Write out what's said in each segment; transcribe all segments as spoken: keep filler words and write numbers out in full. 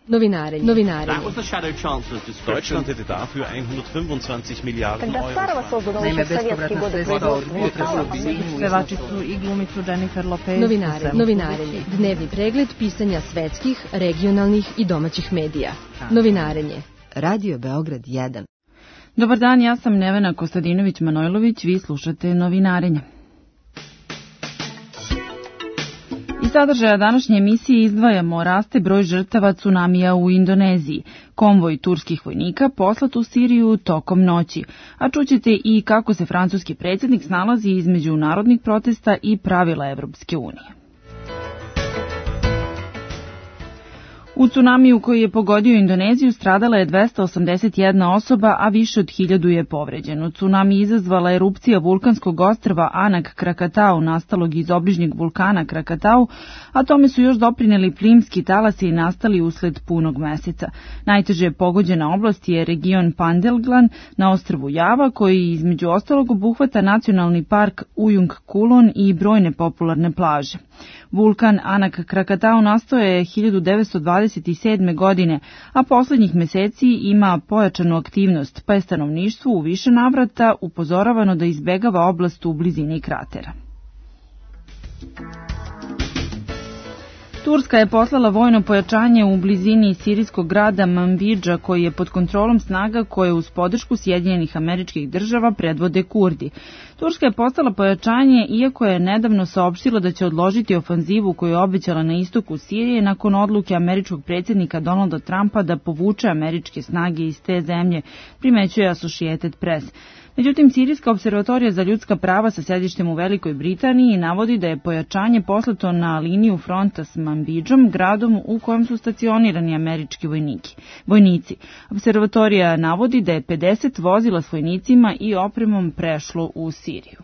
Novinarenje. Novinarenje. Deutschland hätte dafür hundertfünfundzwanzig Milliarden Euro. Naime, bespovratna sredstva od potresa u svinu. Pevačicu i glumicu Jennifer Lopez. Novinarenje. Novinarenje. Dnevni pregled pisanja svetskih, regionalnih i domaćih medija. Novinarenje. Radio Beograd jedan. Dobar dan, ja sam Nevena Kostadinović-Manojlović, vi slušate Novinarenje. Iz sadržaja današnje emisije izdvajamo raste broj žrtava tsunamija u Indoneziji, konvoj turskih vojnika poslat u Siriju tokom noći, a čućete i kako se francuski predsjednik snalazi između narodnih protesta i pravila Evropske unije. U tsunamiju koji je pogodio Indoneziju stradala je dvesta osamdeset jedna osoba, a više od hiljadu je povređeno. Tsunami izazvala erupcija vulkanskog ostrva Anak Krakatau, nastalog iz obližnjeg vulkana Krakatau, a tome su još doprineli plimski talasi nastali usled punog meseca. Najteže pogođena oblast je region Pandelglan na ostrvu Java, koji između ostalog obuhvata nacionalni park Ujung Kulon i brojne popularne plaže. Vulkan Anak Krakatau nastao je hiljadu devetsto dvadeset sedme. godine, a poslednjih meseci ima pojačanu aktivnost, pa je stanovništvo u više navrata upozoravano da izbegava oblast u blizini kratera. Turska je poslala vojno pojačanje u blizini sirijskog grada Manbidža, koji je pod kontrolom snaga koje uz podršku Sjedinjenih Američkih Država predvode Kurdi. Turska je poslala pojačanje iako je nedavno saopštila da će odložiti ofanzivu koju je obećala na istoku Sirije nakon odluke američkog predsjednika Donalda Trumpa da povuče američke snage iz te zemlje, primećuje Associated Press. Međutim, Sirijska observatorija za ljudska prava sa sedištem u Velikoj Britaniji navodi da je pojačanje poslato na liniju fronta s Manbidžom, gradom u kojem su stacionirani američki vojniki, vojnici. Observatorija navodi da je pedeset vozila s vojnicima i opremom prešlo u Siriju.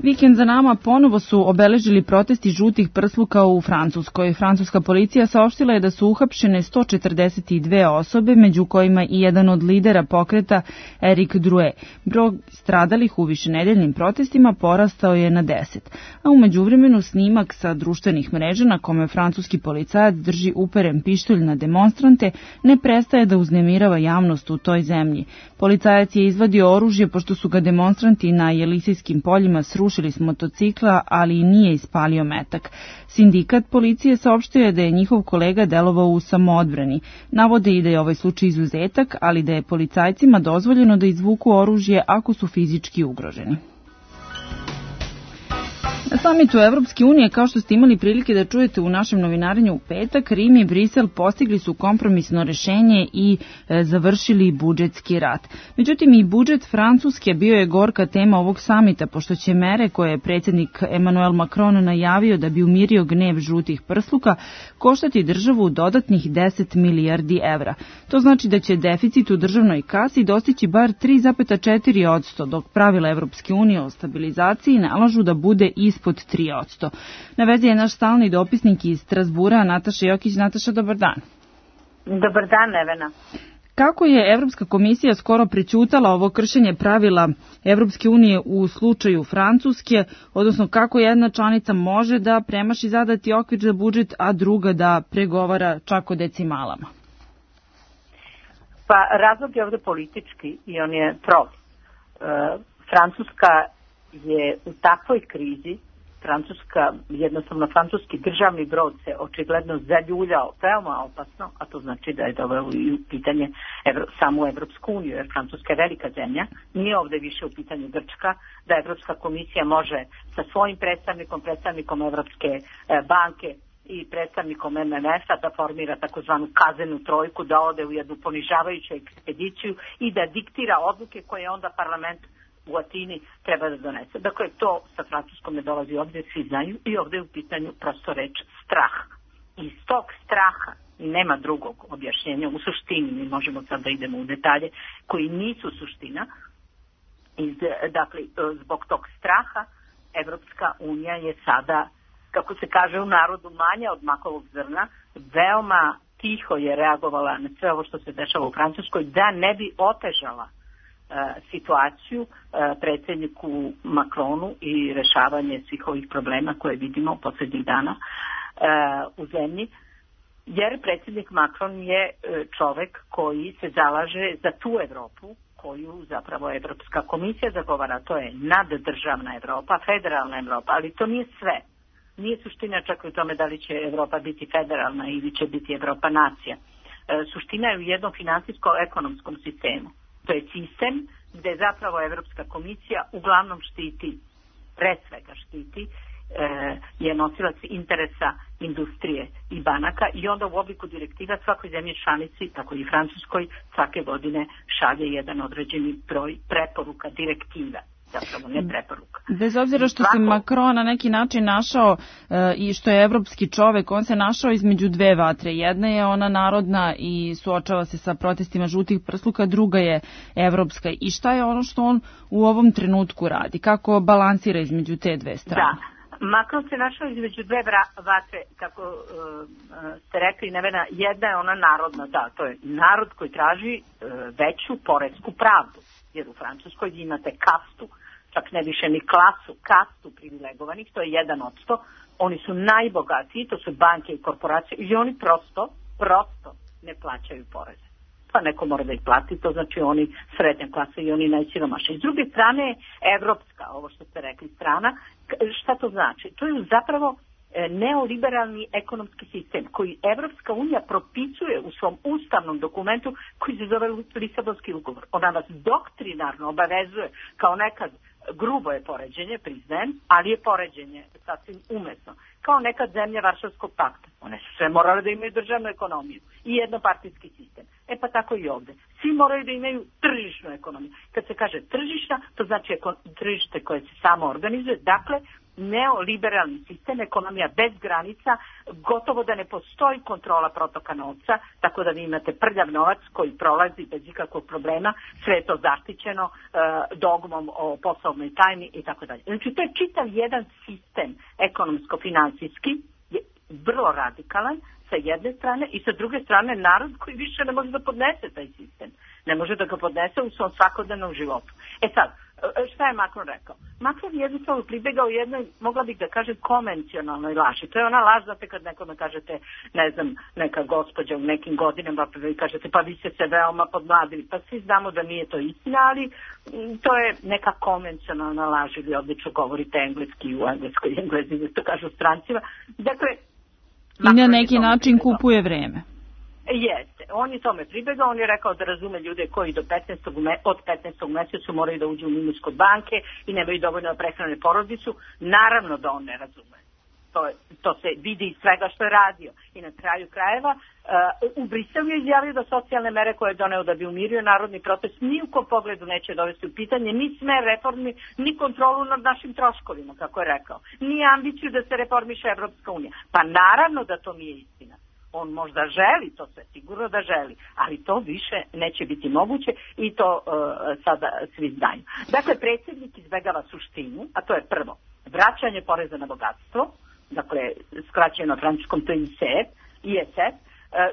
Vikend za nama ponovo su obeležili protesti žutih prsluka u Francuskoj. Francuska policija saopštila je da su uhapšene sto četrdeset dve osobe, među kojima i jedan od lidera pokreta Eric Drouet. Broj stradalih u višenedeljnim protestima porastao je na deset, a u međuvremenu snimak sa društvenih mreža na kome francuski policajac drži uperen pištolj na demonstrante ne prestaje da uznemirava javnost u toj zemlji. Policajac je izvadio oružje pošto su ga demonstranti na Jelisejskim poljima srušili Rušili s motocikla, ali nije ispalio metak. Sindikat policije saopštio je da je njihov kolega delovao u samoodbrani. Navode i da je ovaj slučaj izuzetak, ali da je policajcima dozvoljeno da izvuku oružje ako su fizički ugroženi. Na samitu Evropske unije, kao što ste imali prilike da čujete u našem novinarenju u petak, Rim i Brisel postigli su kompromisno rešenje i e, završili budžetski rat. Međutim, i budžet Francuske bio je gorka tema ovog samita, pošto će mere koje je predsjednik Emmanuel Macron najavio da bi umirio gnev žutih prsluka koštati državu dodatnih deset milijardi evra. To znači da će deficit u državnoj kasi dostići bar tri zarez četiri posto, dok pravila Evropske unije o stabilizaciji nalažu da bude ispod pod tri posto. Na vezi je naš stalni dopisnik iz Strasbura, Nataša Jokić. Nataša, dobar dan. Dobar dan, Nevena. Kako je Evropska komisija skoro prećutala ovo kršenje pravila Evropske unije u slučaju Francuske, odnosno kako jedna članica može da premaši zadati okvir za budžet, a druga da pregovara čak o decimalama? Pa razlog je ovde politički i on je prost. E, Francuska je u takvoj krizi, Francuska, jednostavno francuski državni brod se očigledno zaljuljao veoma opasno, a to znači da je doveo u pitanje Evro, samu Evropsku uniju, jer Francuska je velika zemlja, nije ovde više u pitanju Grčka, da Evropska komisija može sa svojim predstavnikom, predstavnikom Evropske banke i predstavnikom M M F-a da formira takozvanu kazenu trojku, da ode u jednu ponižavajuću ekspediciju i da diktira odluke koje onda parlament u Atini treba da donese. Dakle, to sa Francuskom ne dolazi ovdje, svi znaju, i ovdje je u pitanju prosto reč strah. Iz tog straha nema drugog objašnjenja. U suštini, mi možemo sad da idemo u detalje koji nisu suština. Iz, dakle, zbog tog straha Evropska unija je sada, kako se kaže u narodu, manja od makovog zrna, veoma tiho je reagovala na sve ovo što se dešava u Francuskoj, da ne bi otežala situaciju predsjedniku Macronu i rešavanje svih ovih problema koje vidimo posljednjih dana. u zemlji, jer predsjednik Macron je čovek koji se zalaže za tu Evropu koju zapravo Evropska komisija zagovara. To je naddržavna Evropa, federalna Evropa, ali to nije sve. Nije suština čak u tome da li će Evropa biti federalna ili će biti Evropa nacija. E, suština je u jednom finansijsko-ekonomskom sistemu. To je sistem gde zapravo Evropska komisija uglavnom štiti, pre svega štiti, e, je nosilac interesa industrije i banaka i onda u obliku direktiva svakoj zemlji članici, tako i Francuskoj, svake godine šalje jedan određeni broj preporuka direktiva. Zapravo ne preporuka. Bez obzira što se Macron na neki način našao e, i što je evropski čovek, on se našao između dve vatre. Jedna je ona narodna i suočava se sa protestima žutih prsluka, druga je evropska. I šta je ono što on u ovom trenutku radi? Kako balansira između te dve strane? Da. Macron se našao između dve vatre, kako uh, ste rekli, Nevena, jedna je ona narodna, da, to je narod koji traži uh, veću poresku pravdu, jer u Francuskoj imate kastu, čak ne više ni klasu, kastu privilegovanih, to je jedan od sto, oni su najbogatiji, to su banke i korporacije i oni prosto, prosto ne plaćaju poreze. Pa neko mora da ih plati, to znači oni srednja klasa i oni najsiromašniji. S druge strane, evropska, ovo što ste rekli, strana, šta to znači? To je zapravo neoliberalni ekonomski sistem koji Evropska unija propisuje u svom ustavnom dokumentu koji se zove Lisabonski ugovor. Ona vas doktrinarno obavezuje, kao nekad grubo je poređenje, priznajem, ali je poređenje sasvim umesno. Kao nekad zemlja Varšavskog pakta. One su sve morale da imaju državnu ekonomiju i jednopartijski sistem. E pa tako i ovde. Svi moraju da imaju tržišnu ekonomiju. Kad se kaže tržišna, to znači tržište koje se samo organizuje. Dakle, neoliberalni sistem, ekonomija bez granica, gotovo da ne postoji kontrola protoka novca, tako da vi imate prljav novac koji prolazi bez ikakvog problema, sve je to zaštićeno e, dogmom o poslovnoj tajni i tako dalje. Znači, to je čitav jedan sistem ekonomsko-finansijski, je vrlo radikalan sa jedne strane i sa druge strane narod koji više ne može da podnese taj sistem. Ne može da ga podnese u svom svakodnevnom životu. E sad, šta je Macron rekao? Macron je jednostavno pribegao jednoj, mogla bih da kažem, konvencionalnoj laži. To je ona laž, znate, kad nekome kažete, ne znam, neka gospođa u nekim godinama, pa vi kažete, pa vi ste se veoma podmladili. Pa svi znamo da nije to istina, ali to je neka konvencionalna laž, ili odlično govorite engleski u engleskoj, englezi to kažu strancima. Dakle, i na neki način kupuje vreme. Jeste, on je tome pribegao, on je rekao da razume ljude koji do petnaestog od petnaestog mesecu moraju da uđu u minus kod banke i nemaju dovoljno da prehrane porodicu. Naravno da on ne razume. To, to se vidi iz svega što je radio. I na kraju krajeva uh, u Briselu je izjavio da socijalne mere koje je doneo da bi umirio narodni protest ni u kom pogledu neće dovesti u pitanje ni smer reformi, ni kontrolu nad našim troškovima, kako je rekao. Ni ambiciju da se reformiše Evropska unija. Pa naravno da to nije istina. On možda želi, to sve sigurno da želi, ali to više neće biti moguće i to uh, sada svi znaju. Dakle, predsjednik izbegava suštinu, a to je prvo, vraćanje poreza na bogatstvo, dakle, skraćeno na francuskom to je I S F,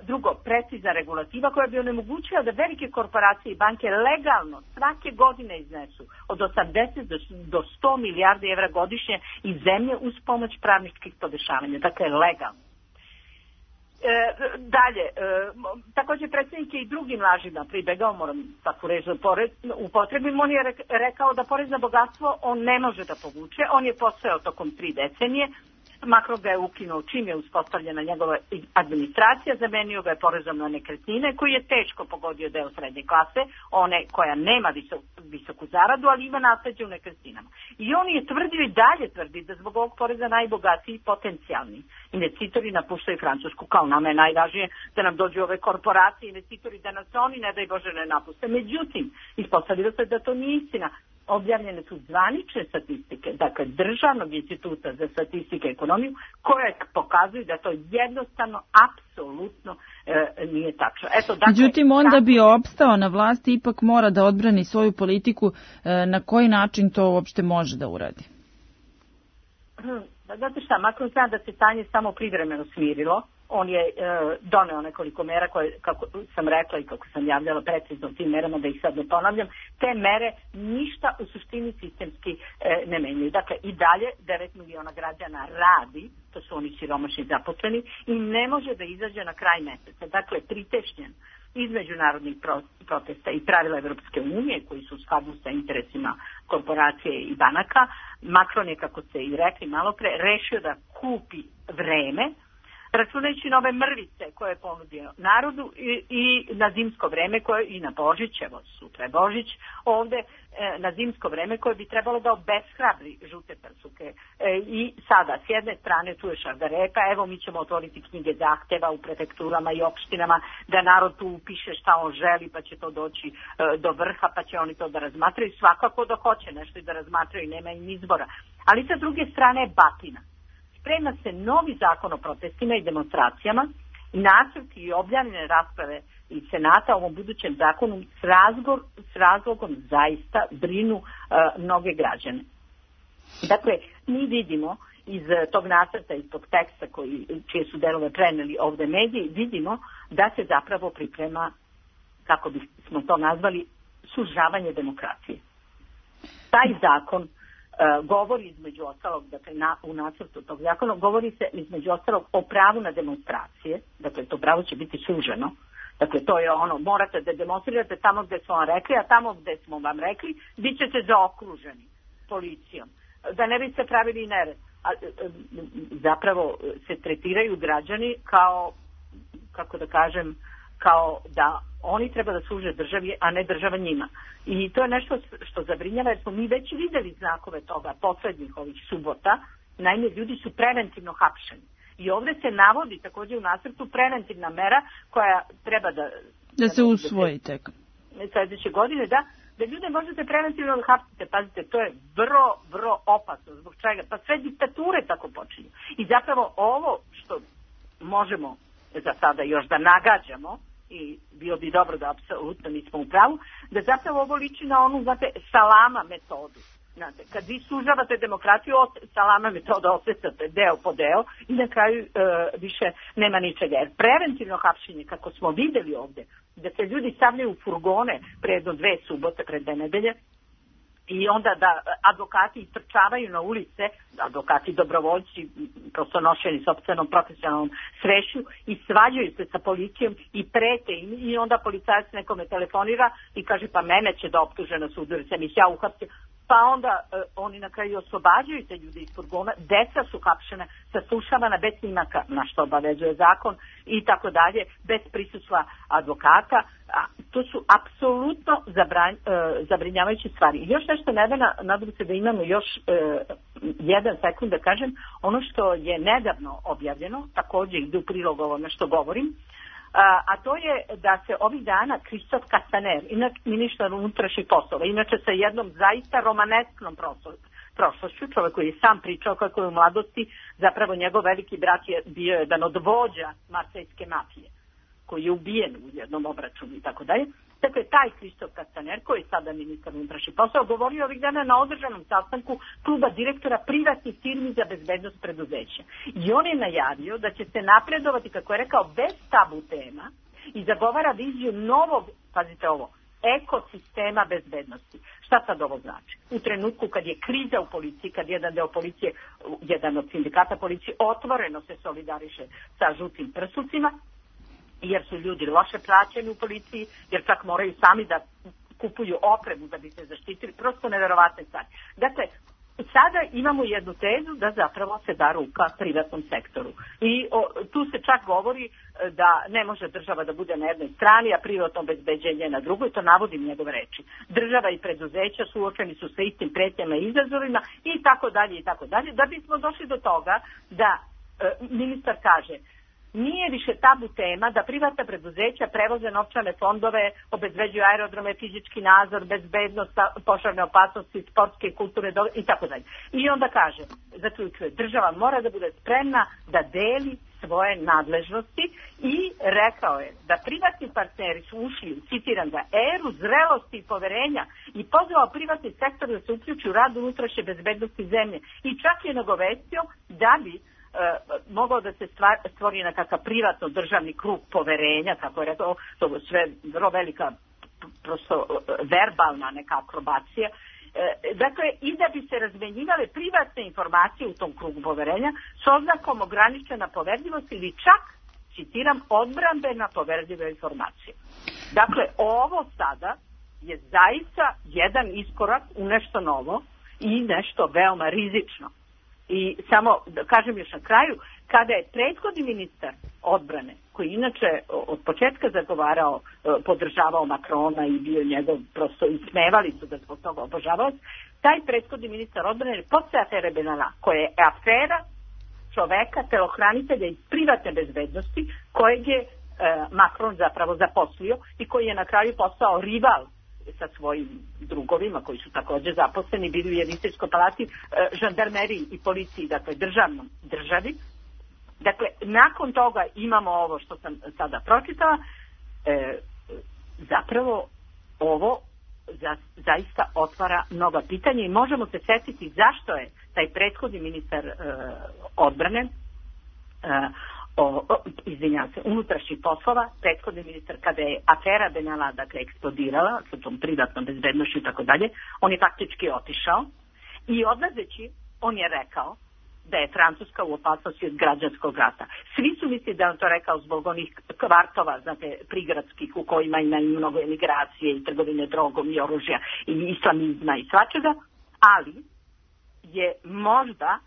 drugo, precizna regulativa koja bi onemogućila da velike korporacije i banke legalno svake godine iznesu od osamdeset do sto milijardi evra godišnje iz zemlje uz pomoć pravničkih podešavanja, dakle legalno. E, dalje, e, također predsjednik je i drugim lažima pribegao, moram takvu reći u potrebim, on je rekao da porez na bogatstvo on ne može da povuče, on je postojao tokom tri decenije, Macron ga je ukinuo čim je uspostavljena njegova administracija, zamenio ga je porezom na nekretnine koji je teško pogodio deo srednje klase, one koja nema visok, visoku zaradu, ali ima nasleđe u nekretninama. I on je tvrdio i dalje tvrdi da zbog ovog poreza najbogatiji potencijalni investitori napuštaju Francusku, kao nama je najvažnije da nam dođu ove korporacije, investitori da nas oni ne daj Bože ne napuste. Međutim, ispostavilo se da to nije istina. Objavljene su zvanične statistike, dakle Državnog instituta za statistiku i ekonomiju, koje pokazuju da to jednostavno, apsolutno e, nije tačno. Eto, dakle, međutim, on da bi opstao na vlasti ipak mora da odbrani svoju politiku. E, na koji način to uopšte može da uradi? Znate šta, Macron zna da se stanje samo privremeno smirilo on je e, doneo nekoliko mera koje, kako sam rekla i kako sam javljala precizno tim merama, da ih sad ne ponavljam, te mere ništa u suštini sistemski e, ne menjaju. Dakle, i dalje devet miliona građana radi, to su oni siromašni zaposleni, i ne može da izađe na kraj meseca. Dakle, pritešnjen iz međunarodnih protesta i pravila Evropske unije, koji su u skladu sa interesima korporacije i banaka, Macron je, kako ste i rekli malo pre, rešio da kupi vreme, računajući nove mrvice koje je ponudio narodu i, i na zimsko vreme koje, i na Božić, evo sutra je Božić, ovde e, na zimsko vreme koje bi trebalo da obeshrabri žute prsuke. E, I sada, s jedne strane tu je šargarepa, evo mi ćemo otvoriti knjige zahteva u prefekturama i opštinama, da narod tu upiše šta on želi, pa će to doći e, do vrha, pa će oni to da razmatraju, svakako da hoće nešto i da razmatraju, nema im izbora. Ali sa druge strane je batina. Sprema se novi zakon o protestima i demonstracijama, nacrt i objavljene rasprave iz Senata o ovom budućem zakonu s, razgor, s razlogom zaista brinu uh, mnoge građane. Dakle, mi vidimo iz tog nacrta, iz tog teksta koji, čije su delove preneli ovde mediji, vidimo da se zapravo priprema, kako bismo to nazvali, sužavanje demokracije. Taj zakon Uh, govori između ostalog, dakle na, u nacrtu tog zakona, govori se između ostalog o pravu na demonstracije, dakle to pravo će biti suženo, dakle to je ono, morate da demonstrirate tamo gde smo vam rekli, a tamo gde smo vam rekli, bit ćete zaokruženi policijom, da ne biste pravili nered. A, zapravo se tretiraju građani kao, kako da kažem, kao da oni treba da služe državi, a ne država njima. I to je nešto što zabrinjava, jer smo mi već videli znakove toga poslednjih ovih subota. Naime, ljudi su preventivno hapšeni. I ovde se navodi takođe u nacrtu preventivna mera koja treba da... Da se usvoji tek. Sledeće godine, da, da ljude možete preventivno da hapsite. Pazite, to je vrlo, vrlo opasno. Zbog čega? Pa sve diktature tako počinju. I zapravo ovo što možemo za sada još da nagađamo, i bilo bi dobro da apsolutno nismo u pravu, da zapravo ovo liči na onu, znate, salama metodu. Znate, kad vi sužavate demokratiju, salama metoda osvecate deo po deo i na kraju e, više nema ničega. Jer preventivno hapšenje, kako smo videli ovde, da se ljudi stavljaju u furgone pre jedno dve subote, pre dve nedelje, i onda da advokati istrčavaju na ulice, advokati dobrovoljci, prosto nošeni sopstvenom profesionalnom svešću, i svađaju se sa policijom i prete im, i onda policajac nekome telefonira i kaže pa mene će da optuže na sudu jer sam ih ja uhapsio. Pa onda e, oni na kraju oslobađaju te ljude iz furgona, deca su hapšena, saslušavana bez snimaka, na što obavezuje zakon, i tako dalje, bez prisustva advokata. A, to su apsolutno zabranj, e, zabrinjavajuće stvari. I još nešto, Nevena, nadam se da imamo još e, jedan sekund da kažem, ono što je nedavno objavljeno, takođe ide u prilog ovome što govorim, A, a to je da se ovih dana Kristof Kastaner, inače ministar unutrašnjih poslova, inače sa jednom zaista romanesknom prošlošću, čovjek koji je sam pričao kako je u mladosti, zapravo njegov veliki brat je bio jedan od vođa marsejske mafije, koji je ubijen u jednom obračunu i tako dalje. Dakle, taj Kristof Kastaner, koji je sada ministar unutrašnjih poslova, govorio ovih dana na održanom sastanku kluba direktora privatnih firmi za bezbednost preduzeća. I on je najavio da će se napredovati, kako je rekao, bez tabu tema, i zagovara viziju novog, pazite ovo, ekosistema bezbednosti. Šta sad ovo znači? U trenutku kad je kriza u policiji, kad jedan deo policije, jedan od sindikata policije otvoreno se solidariše sa žutim prsucima, jer su ljudi loše plaćeni u policiji, jer čak moraju sami da kupuju opremu da bi se zaštitili, prosto neverovatne stvari. Dakle, sada imamo jednu tezu da zapravo se da ruka privatnom sektoru. I o, tu se čak govori da ne može država da bude na jednoj strani, a privatno obezbeđenje na drugoj, to navodim njegove reči. Država i preduzeća suočeni su sa istim pretnjama i izazovima i tako dalje i tako dalje, da bismo došli do toga da e, ministar kaže: nije više tabu tema da privatna preduzeća prevoze novčane fondove, obezbeđuju aerodrome, fizički nadzor, bezbednost, požarne opasnosti, sportske, kulturne i tako dalje. I onda kaže, zaključuje, država mora da bude spremna da deli svoje nadležnosti, i rekao je da privatni partneri su ušli, citiram ga, eru zrelosti i poverenja, i pozvao privatni sektor da se uključi u rad unutrašnje bezbednosti zemlje, i čak je nagovestio da bi mogao da se stvori nekakav privatno državni krug poverenja, kako je rekao, to je sve vrlo velika prosto verbalna neka akrobacija. Dakle, i da bi se razmenjivale privatne informacije u tom krugu poverenja s oznakom ograničena poverljivost ili čak, citiram, odbrambena poverljiva informacija. Dakle, ovo sada je zaista jedan iskorak u nešto novo i nešto veoma rizično. I samo da kažem još na kraju, kada je prethodni ministar odbrane, koji inače od početka zagovarao, podržavao Makrona i bio njegov, prosto ismevali su da zbog toga obožavao, taj prethodni ministar odbrane je posle afere Benalla, koja je afera čoveka, telohranitelja iz privatne bezbednosti, kojeg je Makron zapravo zaposlio i koji je na kraju postao rival sa svojim drugovima koji su također zaposleni, bili u Jelisejskoj palati, žandarmeriji i policiji, dakle državnom državi. Dakle, nakon toga imamo ovo što sam sada pročitala, e, zapravo ovo za, zaista otvara mnoga pitanja i možemo se setiti zašto je taj prethodni ministar e, odbrane, e, o, o, izvinjavam se, unutrašnjih poslova, prethodni ministar, kada je afera Benalla, dakle, eksplodirala sa tom privatnom bezbednošću i tako dalje, on je faktički otišao i odlazeći, on je rekao da je Francuska u opasnosti od građanskog rata. Svi su mislili da je on to rekao zbog onih kvartova, znate, prigradskih u kojima ima i mnogo emigracije i trgovine drogom i oružja i islamizma i svačega, ali je možda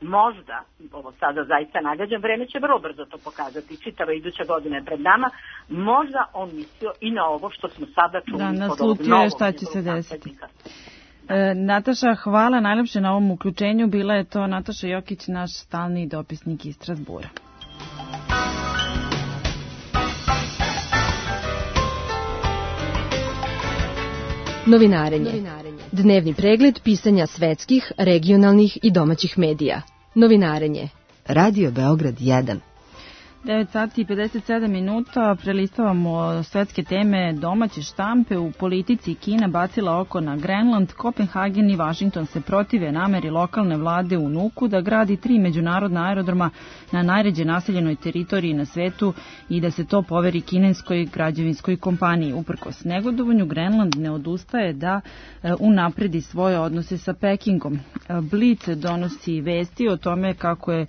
možda, ovo sada zaista nagađam, vreme će vrlo brzo to pokazati, čitava iduća godina je pred nama, možda on mislio i na ovo što smo sada čuli. Da, naslutio je šta će se desiti. E, Nataša, hvala najlepše na ovom uključenju. Bila je to Nataša Jokić, naš stalni dopisnik iz Strasbura. Novinarenje. Dnevni pregled pisanja svetskih, regionalnih i domaćih medija. Novinarenje. Radio Beograd jedan. devet sati i pedeset sedam minuta, prelistavamo svetske teme domaće štampe. U politici Kina bacila oko na Grenland, Kopenhagen i Washington se protive nameri lokalne vlade u Nuku da gradi tri međunarodna aerodroma na najređe naseljenoj teritoriji na svetu i da se to poveri kineskoj građevinskoj kompaniji. Uprkos negodovanju, Grenland ne odustaje da unapredi svoje odnose sa Pekingom. Blic donosi vesti o tome kako je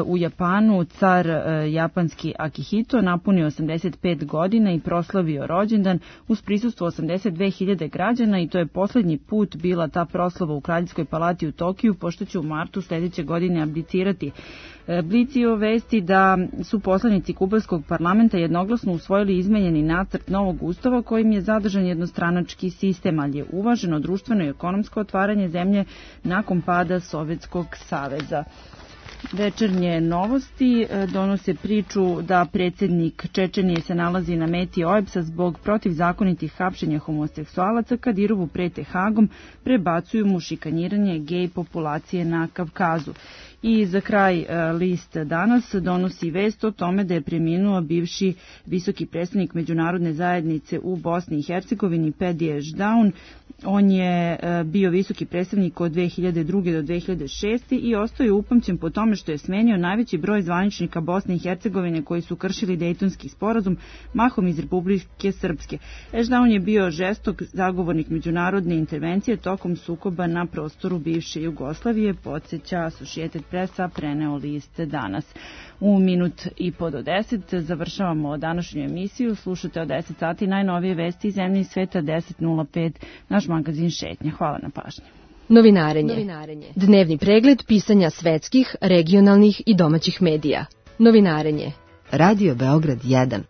u Japanu car Japan Japanski Akihito napunio osamdeset pet godina i proslavio rođendan uz prisustvo osamdeset dve hiljade građana i to je posljednji put bila ta proslava u Kraljevskoj palati u Tokiju, pošto će u martu sljedeće godine abdicirati. Blicio vesti da su poslanici kubanskog parlamenta jednoglasno usvojili izmenjeni nacrt novog ustava kojim je zadržan jednostranački sistem, ali je uvaženo društveno i ekonomsko otvaranje zemlje nakon pada Sovjetskog saveza. Večernje novosti donose priču da predsjednik Čečenije se nalazi na meti O E B S-a zbog protivzakonitih hapšenja homoseksualaca. Kadirovu prete Hagom, prebacuju mu šikaniranje gej populacije na Kavkazu. I za kraj list Danas donosi vest o tome da je preminuo bivši visoki predstavnik međunarodne zajednice u Bosni i Hercegovini Pedije Ždaun. On je bio visoki predstavnik od dve hiljade druge do dve hiljade šeste i ostao je upamćen po tome što je smenio najveći broj zvaničnika Bosne i Hercegovine koji su kršili Dejtonski sporazum, mahom iz Republike Srpske. Ždaun je bio žestok zagovornik međunarodne intervencije tokom sukoba na prostoru bivše Jugoslavije, podsjeća Associated Pressa, preneo list Danas. U minut i po do deset završavamo današnju emisiju. Slušate od deset sati najnovije vesti iz zemlje i sveta, deset nula pet, naš magazin Šetnja. Hvala na pažnji. Novinarenje. Novinarenje. Dnevni pregled pisanja svetskih, regionalnih i domaćih medija. Novinarenje. Radio Beograd jedan.